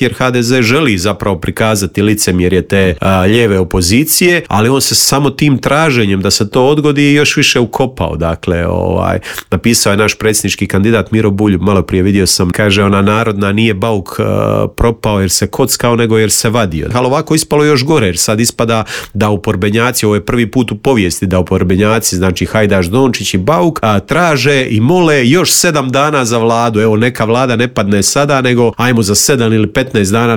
jer HDZ želi zapravo prikazati licemjerje te lijeve opozicije, ali on se samo tim traženjem da se to odgodi još više ukopao. Dakle, napisao je naš predsjednički kandidat Miro Bulj, malo prije vidio sam, kaže ona narodna nije bauk propao jer se kockao, nego jer se vadio. Ali ovako ispalo još gore, jer sad ispada da oporbenjaci, ovo je prvi put u povijesti da oporbenjaci, znači Hajdaš Dončić i Bauk, traže i mole još 7 dana za vladu. Evo, neka vlada ne padne sada, nego ajmo za 7 ili 15 dana